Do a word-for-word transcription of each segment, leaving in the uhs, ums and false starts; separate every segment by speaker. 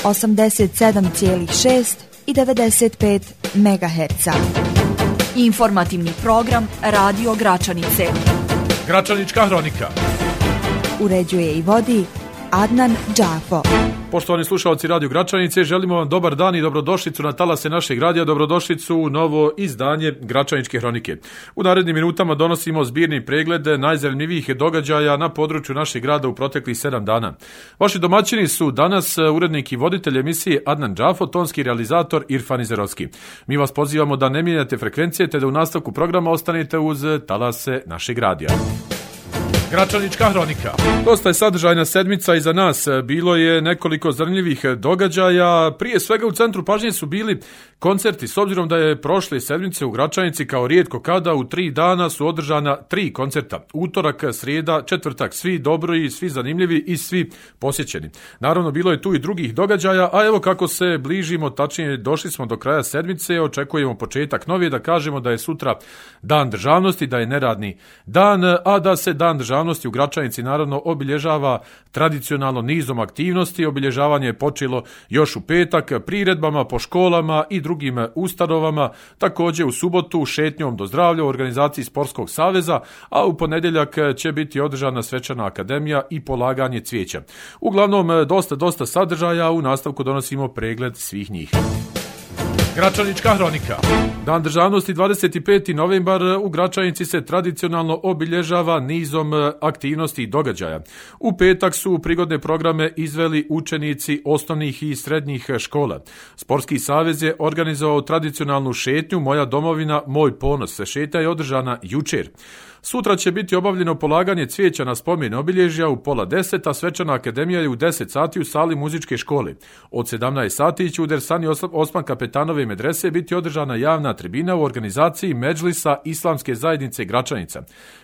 Speaker 1: osamdeset sedam zarez šest i devedeset pet megaherca.
Speaker 2: Informativni program Radio Gračanice.
Speaker 3: Gračanička hronika.
Speaker 1: Uređuje i vodi Adnan Džafo.
Speaker 3: Poštovani slušalci Radio Gračanice, želimo vam dobar dan i dobrodošlicu na talase našeg radija, dobrodošlicu u novo izdanje Gračaničke hronike. U narednim minutama donosimo zbirni pregled najzanimljivijih događaja na području našeg grada u proteklih sedam dana. Vaši domaćini su danas urednik i voditelj emisije Adnan Džafo, tonski realizator Irfan Izerovski. Mi vas pozivamo da ne mijenjate frekvencije te da u nastavku programa ostanete uz talase našeg radija. Gračanička hronika. Dosta je sadržajna sedmica iza nas. Bilo je nekoliko zanimljivih događaja. Prije svega u centru pažnje su bili koncerti. S obzirom da je prošle sedmice u Gračanici kao rijetko kada u tri dana su održana tri koncerta. Utorak, srijeda, četvrtak. Svi dobri, svi zanimljivi i svi posjećeni. Naravno, bilo je tu i drugih događaja, a evo kako se bližimo, tačnije došli smo do kraja sedmice, očekujemo početak nove, da kažemo da je sutra Dan državnosti, da je neradni dan, a da se Dan državnosti u Gračanici naravno obilježava tradicionalno nizom aktivnosti. Obilježavanje je počelo još u petak priredbama po školama i drugim ustanovama, također u subotu šetnjom do zdravlja u organizaciji Sportskog saveza, a u ponedjeljak će biti održana svečana akademija i polaganje cvijeća. Uglavnom dosta, dosta sadržaja, u nastavku donosimo pregled svih njih. Gračanička hronika. Dan državnosti dvadeset peti novembar u Gračanici se tradicionalno obilježava nizom aktivnosti i događaja. U petak su prigodne programe izveli učenici osnovnih i srednjih škola. Sportski savez je organizovao tradicionalnu šetnju Moja domovina, moj ponos. Šetnja je održana jučer. Sutra će biti obavljeno polaganje cvijeća na spomen obilježja u pola deset, a svečana akademija je u deset sati u sali muzičke škole. Od sedamnaest sati će u Dersani Osman Kapetanove medrese biti održana javna tribina u organizaciji Medžlisa Islamske zajednice Gračanica.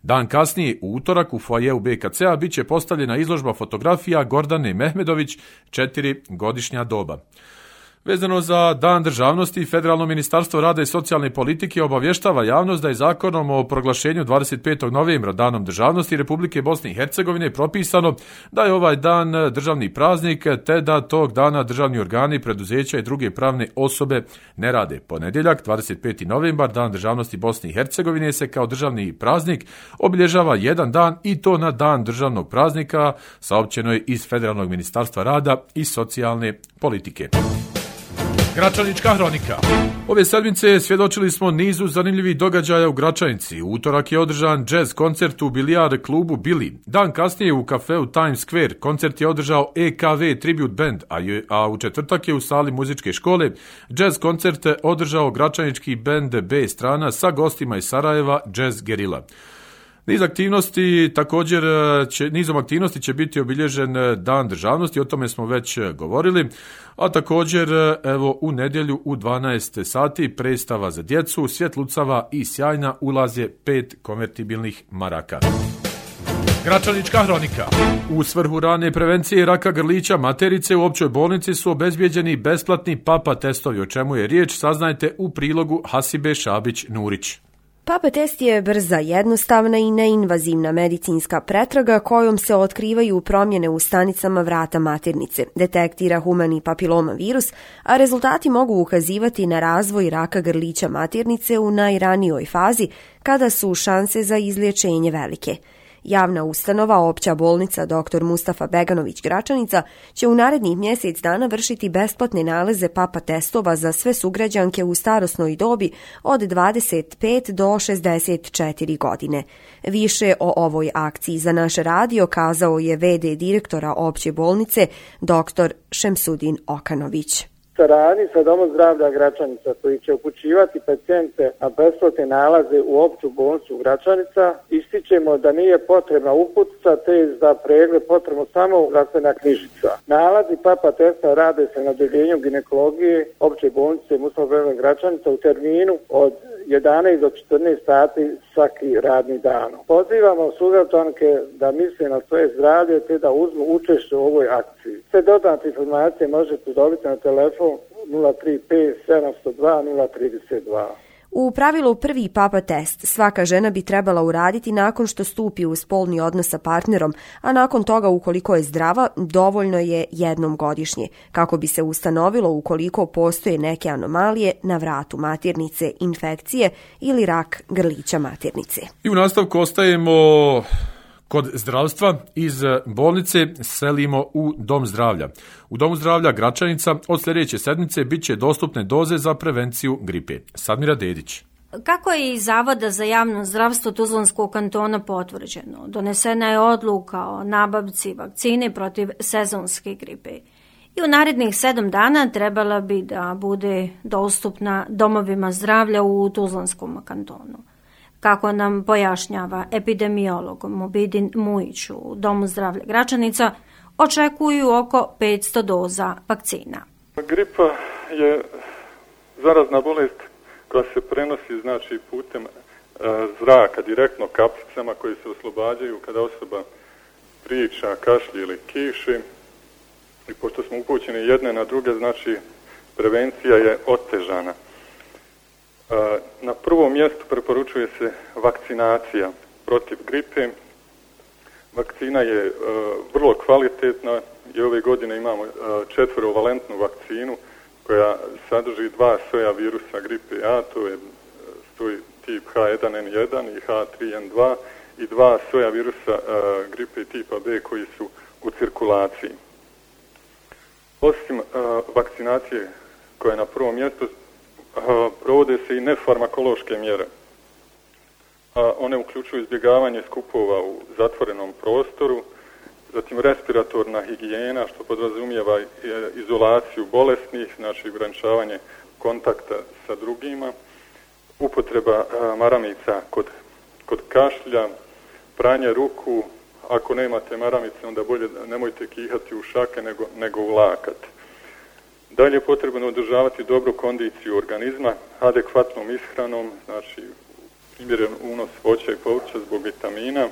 Speaker 3: Dan kasnije, u utorak, u foajeu be ka ce a bit će postavljena izložba fotografija Gordane Mehmedović, četiri godišnja doba. Vezano za Dan državnosti, Federalno ministarstvo rada i socijalne politike obavještava javnost da je zakonom o proglašenju dvadeset petog novembra Danom državnosti Republike Bosne i Hercegovine propisano da je ovaj dan državni praznik, te da tog dana državni organi, preduzeća i druge pravne osobe ne rade. Ponedjeljak, dvadeset peti novembar, Dan državnosti Bosne i Hercegovine, se kao državni praznik obilježava jedan dan, i to na Dan državnog praznika, saopćeno je iz Federalnog ministarstva rada i socijalne politike. Gračanička hronika. Ove sedmice svjedočili smo nizu zanimljivih događaja u Gračanici. U utorak je održan jazz koncert u bilijar klubu Billy. Dan kasnije u kafeu Times Square koncert je održao e ka ve Tribute Band, a, je, a u četvrtak je u sali muzičke škole jazz koncert održao gračanički bend B strana sa gostima iz Sarajeva, Jazz Gerila. Niz aktivnosti, također će, nizom aktivnosti će biti obilježen Dan državnosti, o tome smo već govorili, a također evo u nedjelju u dvanaest sati predstava za djecu, svjetlucava i sjajna, ulaze pet konvertibilnih maraka. Gračanička hronika. U svrhu rane prevencije raka grlića materice u općoj bolnici su obezbijeđeni besplatni papa testovi, o čemu je riječ saznajte u prilogu Hasibe Šabić-Nurić.
Speaker 4: Papa test je brza, jednostavna i neinvazivna medicinska pretraga kojom se otkrivaju promjene u stanicama vrata maternice, detektira humani papiloma virus, a rezultati mogu ukazivati na razvoj raka grlića maternice u najranijoj fazi, kada su šanse za izlječenje velike. Javna ustanova Opća bolnica doktor Mustafa Beganović Gračanica će u narednih mjesec dana vršiti besplatne nalaze papa testova za sve sugrađanke u starosnoj dobi od dvadeset pet do šezdeset četiri godine. Više o ovoj akciji za naš radio kazao je ve de direktora Opće bolnice doktor Šemsudin Okanović.
Speaker 5: Saradnji sa Domom zdravlja Gračanica, koji će upućivati pacijente na besplatne nalaze u Opću bolnicu Gračanica, ističemo da nije potrebna uputnica, te za pregled potrebno samo zdravstvena knjižica. Nalazi papa testa rade se na odeljenju ginekologije Opće bolnice Mustafa Beganović Gračanica u terminu od jedanaest do četrnaest sati svaki radni dan. Pozivamo sugrađanke da misle na svoje zdravlje te da uzmu učešće u ovoj akciji. Sve dodatne informacije možete dobiti na telefon nula tri pet sedam nula dva nula tri dva.
Speaker 4: U pravilu prvi papa test svaka žena bi trebala uraditi nakon što stupi u spolni odnos sa partnerom, a nakon toga ukoliko je zdrava, dovoljno je jednom godišnje, kako bi se ustanovilo ukoliko postoje neke anomalije na vratu maternice, infekcije ili rak grlića maternice.
Speaker 3: I u nastavku ostajemo kod zdravstva. Iz bolnice selimo u Dom zdravlja. U Domu zdravlja Gračanica od sljedeće sedmice bit će dostupne doze za prevenciju gripe. Sadmira Dedić.
Speaker 6: Kako je iz Zavoda za javno zdravstvo Tuzlanskog kantona potvrđeno, donesena je odluka o nabavci vakcine protiv sezonske gripe. I u narednih sedam dana trebala bi da bude dostupna domovima zdravlja u Tuzlanskom kantonu. Kako nam pojašnjava epidemiolog Mubidin Mujić u Domu zdravlja Gračanica, očekuju oko petsto doza vakcina.
Speaker 7: Gripa je zarazna bolest koja se prenosi znači putem e, zraka, direktno kapsicama koje se oslobađaju kada osoba priča, kašlje ili kiši. I pošto smo upućeni jedne na druge, znači prevencija je otežana. Na prvom mjestu preporučuje se vakcinacija protiv gripe. Vakcina je uh, vrlo kvalitetna i ove godine imamo uh, četvorovalentnu vakcinu koja sadrži dva soja virusa gripe A, to je uh, tip H jedan N jedan i H tri N dva i dva soja virusa uh, gripe tipa B koji su u cirkulaciji. Osim uh, vakcinacije koja je na prvom mjestu, provode se i nefarmakološke mjere. One uključuju izbjegavanje skupova u zatvorenom prostoru, zatim respiratorna higijena, što podrazumijeva izolaciju bolesnih, znači ograničavanje kontakta sa drugima, upotreba maramica kod, kod kašlja, pranje ruku. Ako nemate maramice, onda bolje nemojte kihati u šake nego, nego u lakat. Dalje je potrebno održavati dobru kondiciju organizma, adekvatnom ishranom, znači primjeren unos voća i povrća zbog vitamina,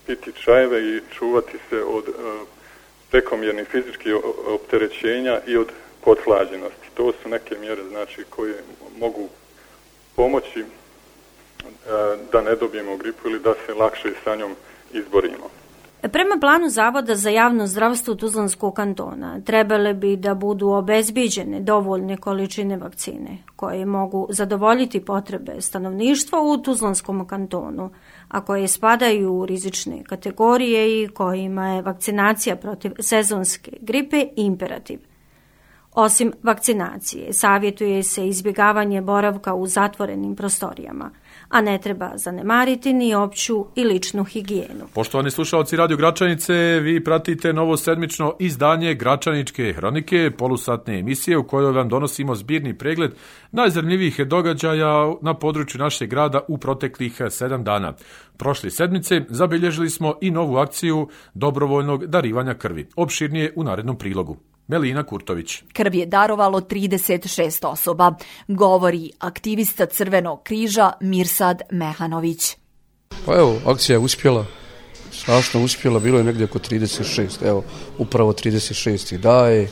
Speaker 7: piti čajeve i čuvati se od e, prekomjernih fizičkih opterećenja i od pothlađenosti. To su neke mjere znači koje mogu pomoći e, da ne dobijemo gripu ili da se lakše sa njom izborimo.
Speaker 6: Prema planu Zavoda za javno zdravstvo Tuzlanskog kantona trebale bi da budu obezbiđene dovoljne količine vakcine koje mogu zadovoljiti potrebe stanovništva u Tuzlanskom kantonu, a koje spadaju u rizične kategorije i kojima je vakcinacija protiv sezonske gripe imperativ. Osim vakcinacije, savjetuje se izbjegavanje boravka u zatvorenim prostorijama, a ne treba zanemariti ni opću i ličnu higijenu.
Speaker 3: Poštovani slušalci Radio Gračanice, vi pratite novo sedmično izdanje Gračaničke hronike, polusatne emisije u kojoj vam donosimo zbirni pregled najzanimljivijih događaja na području našeg grada u proteklih sedam dana. Prošle sedmice zabilježili smo i novu akciju dobrovoljnog darivanja krvi. Opširnije u narednom prilogu. Melina Kurtović.
Speaker 2: Krv je darovalo trideset šest osoba, govori aktivista Crvenog križa Mirsad Mehanović.
Speaker 8: Pa evo, akcija je uspjela, strašno uspjela, bilo je negdje oko trideset šest, evo, upravo trideset šest i daje.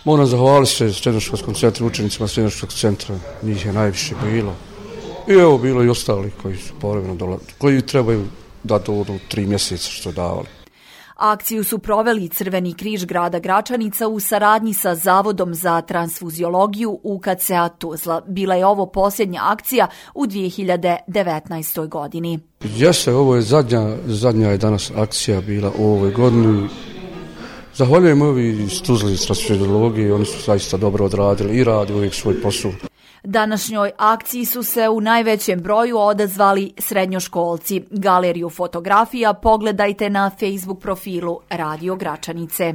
Speaker 8: Moram zahvaliti se srednjoškolskom centru, učenicima srednjoškolskog centra, njih je najviše bilo. I evo, bilo i ostali koji su povremeno dolazili, koji trebaju da dođu tri mjeseca što davali.
Speaker 2: Akciju su proveli Crveni križ grada Gračanica u saradnji sa Zavodom za transfuziologiju U K C A Tuzla. Bila je ovo posljednja akcija u dvije hiljade devetnaestoj godini.
Speaker 8: Jeste, ovo je zadnja, zadnja je danas akcija bila u ovoj godini. Zahvaljujem ovi iz Tuzla iz transfuziologije, oni su zaista dobro odradili i radi uvijek svoj posao.
Speaker 2: Današnjoj akciji su se u najvećem broju odazvali srednjoškolci. Galeriju fotografija pogledajte na Facebook profilu Radio Gračanice.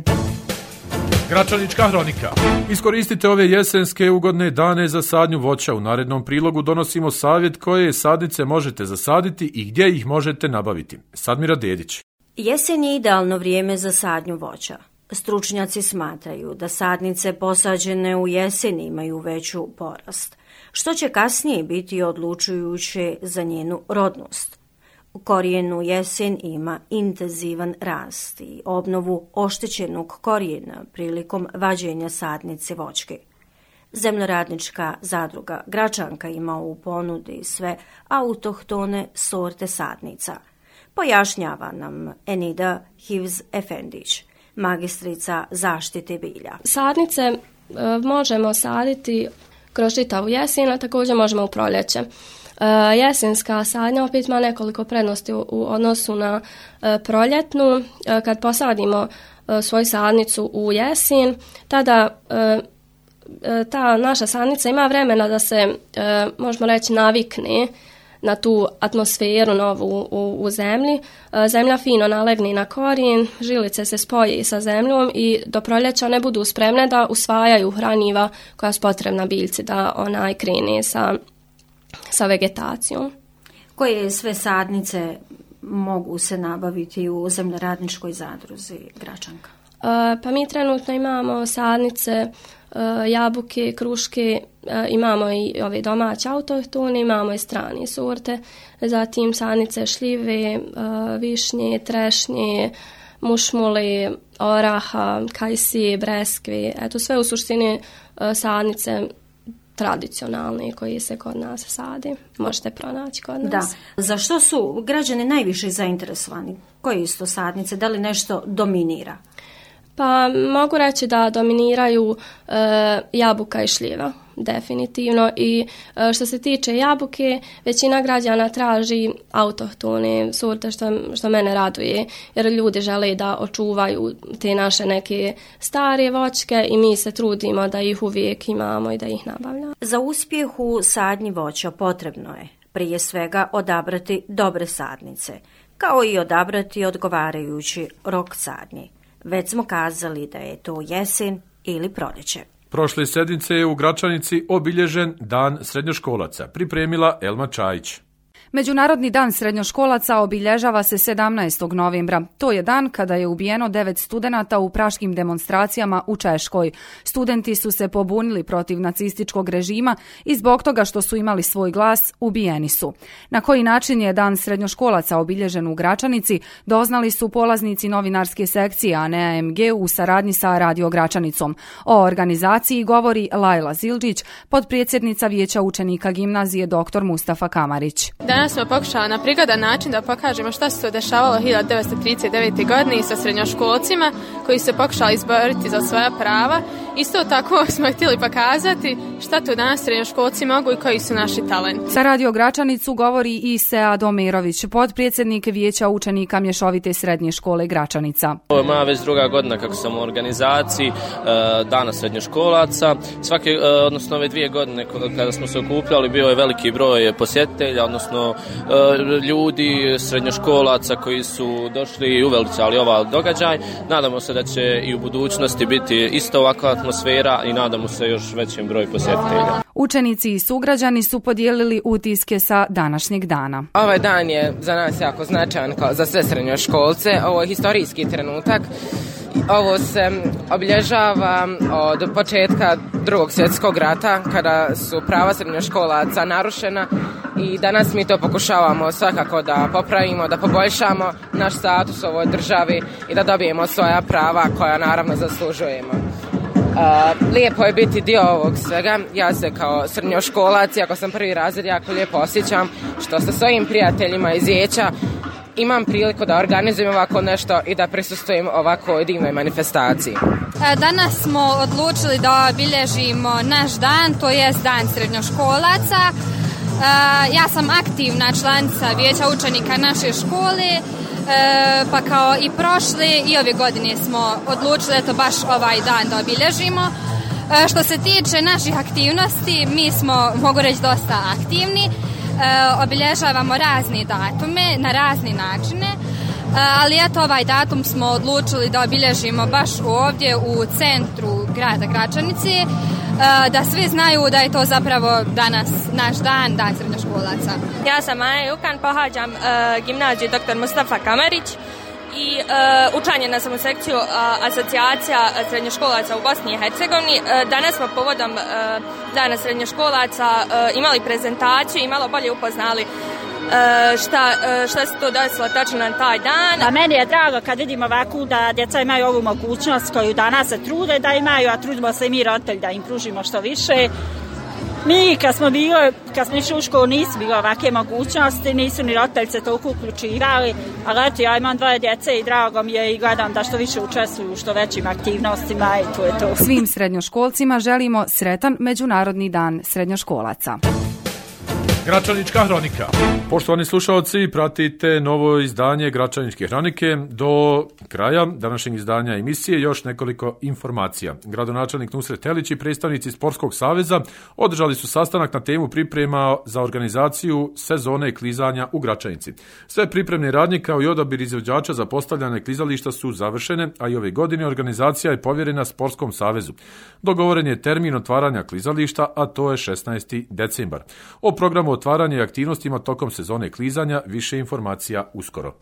Speaker 3: Gračanička hronika. Iskoristite ove jesenske ugodne dane za sadnju voća. U narednom prilogu donosimo savjet koje sadnice možete zasaditi i gdje ih možete nabaviti. Sadmira Dedić.
Speaker 6: Jesen je idealno vrijeme za sadnju voća. Stručnjaci smatraju da sadnice posađene u jesen imaju veću porast, što će kasnije biti odlučujuće za njenu rodnost. Korijen u jesen ima intenzivan rast i obnovu oštećenog korijena prilikom vađenja sadnice voćke. Zemljoradnička zadruga Gračanka ima u ponudi sve autohtone sorte sadnica. Pojašnjava nam Enida Hivz-Efendić, magistrica zaštite bilja.
Speaker 9: Sadnice e, možemo saditi kroz čitavu jesen, a također možemo u proljeće. E, jesenska sadnja opet ima nekoliko prednosti u, u odnosu na e, proljetnu. E, kad posadimo e, svoju sadnicu u jesen, tada e, ta naša sadnica ima vremena da se, e, možemo reći, navikne na tu atmosferu novu u, u zemlji. E, zemlja fino nalegne na korijen, žilice se spoje sa zemljom i do proljeća ne budu spremne da usvajaju hranjiva koja su potrebna biljci da onaj krene sa, sa vegetacijom.
Speaker 6: Koje sve sadnice mogu se nabaviti u Zemljoradničkoj zadruzi Gračanka?
Speaker 9: E, pa mi trenutno imamo sadnice jabuke, kruške, imamo i ove domaće autohtone, imamo i strane sorte, zatim sadnice šljive, višnje, trešnje, mušmule, oraha, kajsije, breskve, eto sve u suštini sadnice tradicionalne koje se kod nas sade. Možete pronaći kod nas.
Speaker 6: Da. Za što su građani najviše zainteresovani? Koje su to sadnice? Da li nešto dominira?
Speaker 9: Pa mogu reći da dominiraju e, jabuka i šljiva, definitivno. I e, što se tiče jabuke, većina građana traži autohtone sorte, što, što mene raduje, jer ljudi žele da očuvaju te naše neke stare voćke i mi se trudimo da ih uvijek imamo i da ih nabavljamo.
Speaker 6: Za uspjeh u sadnji voća potrebno je prije svega odabrati dobre sadnice, kao i odabrati odgovarajući rok sadnje. Već smo kazali da je to jesen ili proljeće.
Speaker 3: Prošle sedmice je u Gračanici obilježen Dan srednjoškolaca, pripremila Elma Čajić.
Speaker 10: Međunarodni dan srednjoškolaca obilježava se sedamnaestog novembra. To je dan kada je ubijeno devet studenata u praškim demonstracijama u Češkoj. Studenti su se pobunili protiv nacističkog režima i zbog toga što su imali svoj glas, ubijeni su. Na koji način je dan srednjoškolaca obilježen u Gračanici, doznali su polaznici novinarske sekcije A N E A M G u saradnji sa Radio Gračanicom. O organizaciji govori Lajla Zildžić, potpredsjednica Vijeća učenika gimnazije doktor Mustafa Kamarić.
Speaker 11: Danas smo pokušali na prigodan način da pokažemo šta se to dešavalo hiljadu devetsto trideset devete. godine sa srednjoškolcima koji se pokušali izboriti za svoja prava. Isto tako smo htjeli pokazati šta to danas srednjoškolci mogu i koji su naši talenti.
Speaker 10: Sa Radio Gračanicu govori i Sead Omerović, potpredsjednik Vijeća učenika mješovite srednje škole Gračanica.
Speaker 12: Ovo je moja već druga godina kako sam u organizaciji Dana srednjoškolaca. Svake, odnosno ove dvije godine kada smo se okupljali bio je veliki broj posjetitelja, odnosno ljudi, srednjoškolaca koji su došli i uvelicali ovaj događaj. Nadamo se da će i u budućnosti biti isto ovakva atmosfera i nadamo se još većem broju posjetitelja.
Speaker 10: Učenici i sugrađani su podijelili utiske sa današnjeg dana.
Speaker 13: Ovaj dan je za nas jako značajan kao za sve srednjoškolce. Ovo je historijski trenutak. Ovo se obilježava od početka Drugog svjetskog rata, kada su prava srednjoškolaca narušena i danas mi to pokušavamo svakako da popravimo, da poboljšamo naš status u ovoj državi i da dobijemo svoja prava koja naravno zaslužujemo. Uh, lijepo je biti dio ovog svega. Ja se kao srednjoškolac, iako sam prvi razred, jako lijepo osjećam što sa svojim prijateljima iz Vijeća imam priliku da organizujem ovako nešto i da prisustvujem ovako divnoj manifestaciji.
Speaker 14: Danas smo odlučili da obilježimo naš dan, to jest dan srednjoškolaca. Ja sam aktivna članica Vijeća učenika naše škole, pa kao i prošle i ove godine smo odlučili eto baš ovaj dan da obilježimo. Što se tiče naših aktivnosti, mi smo, mogu reći, dosta aktivni. Obilježavamo razne datume na razne načine, ali eto ovaj datum smo odlučili da obilježimo baš ovdje u centru grada Gračanice, da svi znaju da je to zapravo danas naš dan, dan srednjoškolaca.
Speaker 15: Ja sam Maja Jukan, pohađam uh, gimnaziju doktor Mustafa Kamarić i uh, učlanjena sam u sekciju uh, asocijacija srednjoškolaca u Bosni i Hercegovini. Uh, danas smo povodom uh, dana srednjoškolaca uh, imali prezentaciju i malo bolje upoznali šta, šta se to desilo tačno na taj dan.
Speaker 16: A meni je drago kad vidim ovako da djeca imaju ovu mogućnost koju danas se trude da imaju, a trudimo se i mi roditelji da im pružimo što više. Mi kad smo bili, kad smo išli u školu nisu bile ovakve mogućnosti, nisu ni roditelji se toliko uključivali, ali eto ja imam dvoje djece i drago mi je i gledam da što više učestvuju u što većim aktivnostima i to je to.
Speaker 10: Svim srednjoškolcima želimo sretan Međunarodni dan srednjoškolaca.
Speaker 3: Gračanička hronika. Poštovani slušalci, pratite novo izdanje Gračaničke hronike. Do kraja današnjeg izdanja emisije još nekoliko informacija. Gradonačelnik Nusret Helić i predstavnici Sportskog saveza održali su sastanak na temu priprema za organizaciju sezone klizanja u Gračanici. Sve pripremne radnje kao i odabir izvođača za postavljanje klizališta su završene, a i ove godine organizacija je povjerena Sportskom savezu. Dogovoren je termin otvaranja klizališta, a to je šesnaesti decembar. O programu otvaranja i aktivnostima tokom sezone klizanja više informacija uskoro.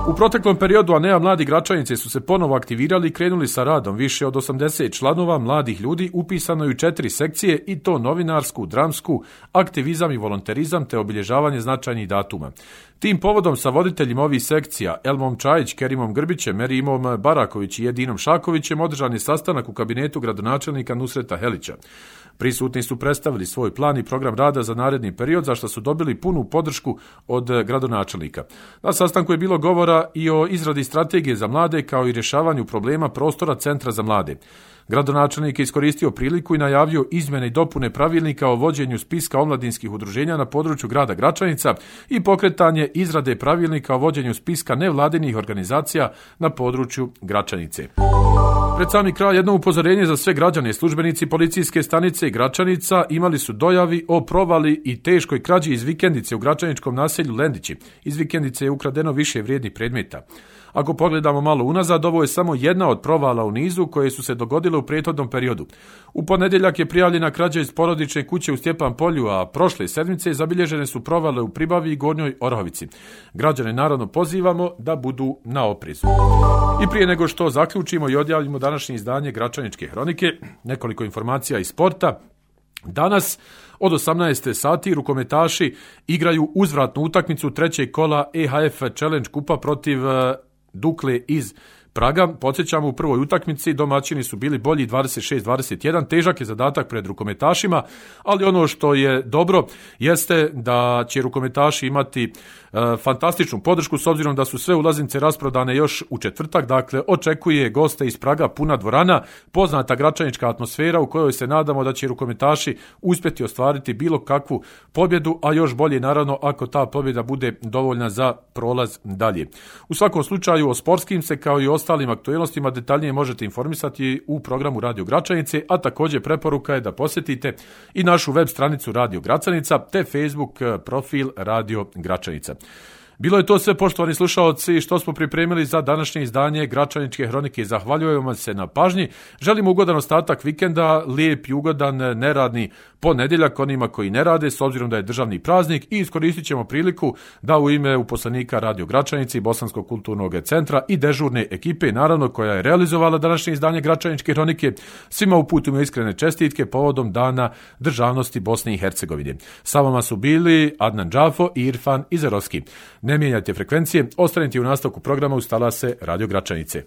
Speaker 3: U proteklom periodu Anea Mladi Gračanice su se ponovo aktivirali i krenuli sa radom. Više od osamdeset članova mladih ljudi upisano je u četiri sekcije i to novinarsku, dramsku, aktivizam i volonterizam te obilježavanje značajnih datuma. Tim povodom sa voditeljima ovih sekcija Elmom Čajić, Kerimom Grbićem, Merimom Baraković i Edinom Šakovićem održan je sastanak u kabinetu gradonačelnika Nusreta Helića. Prisutni su predstavili svoj plan i program rada za naredni period, za što su dobili punu podršku od gradonačelnika. Na sastanku je bilo govora i o izradi strategije za mlade kao i rješavanju problema prostora Centra za mlade. Gradonačelnik je iskoristio priliku i najavio izmjene i dopune pravilnika o vođenju spiska omladinskih udruženja na području grada Gračanica i pokretanje izrade pravilnika o vođenju spiska nevladinih organizacija na području Gračanice. Pred sami kraj jedno upozorenje za sve građane. Službenici policijske stanice Gračanica imali su dojavi o provali i teškoj krađi iz vikendice u gračaničkom naselju Lendići. Iz vikendice je ukradeno više vrijednih predmeta. Ako pogledamo malo unazad, ovo je samo jedna od provala u nizu koje su se dogodile u prethodnom periodu. U ponedjeljak je prijavljena krađa iz porodične kuće u Stjepan Polju, a prošle sedmice zabilježene su provale u Pribavi i Gornjoj Orahovici. Građane naravno pozivamo da budu na oprezu. I prije nego što zaključimo i odjavimo današnje izdanje Gračaničke hronike, nekoliko informacija iz sporta. Danas od osamnaest sati rukometaši igraju uzvratnu utakmicu trećeg kola E H F Challenge kupa protiv Dukle iz Praga. Podsjećamo, u prvoj utakmici domaćini su bili bolji dvadeset šest dvadeset jedan, težak je zadatak pred rukometašima, ali ono što je dobro jeste da će rukometaši imati e, fantastičnu podršku s obzirom da su sve ulaznice rasprodane još u četvrtak, dakle očekuje goste iz Praga puna dvorana, poznata gračanička atmosfera u kojoj se nadamo da će rukometaši uspjeti ostvariti bilo kakvu pobjedu, a još bolje naravno ako ta pobjeda bude dovoljna za prolaz dalje. U svakom slučaju o sportskim se kao i ostalim aktualnostima detaljnije možete informisati u programu Radio Gračanice, a također preporuka je da posjetite i našu web stranicu Radio Gračanica te Facebook profil Radio Gračanica. Bilo je to sve, poštovani slušaoci, što smo pripremili za današnje izdanje Gračaničke hronike. Zahvaljujemo vam se na pažnji. Želimo ugodan ostatak vikenda, lijep i ugodan neradni ponedjeljak onima koji ne rade, s obzirom da je državni praznik, i iskoristit ćemo priliku da u ime uposlenika Radio Gračanice i Bosanskog kulturnog centra i dežurne ekipe, naravno koja je realizovala današnje izdanje Gračaničke hronike, svima uputimo iskrene čestitke povodom Dana državnosti Bosne i Hercegovine. Sa vama su bili Adnan Džafo i Irfan Izerovski. Ne mijenjajte frekvencije, ostanite u nastavku programa uz talase Radio Gračanice.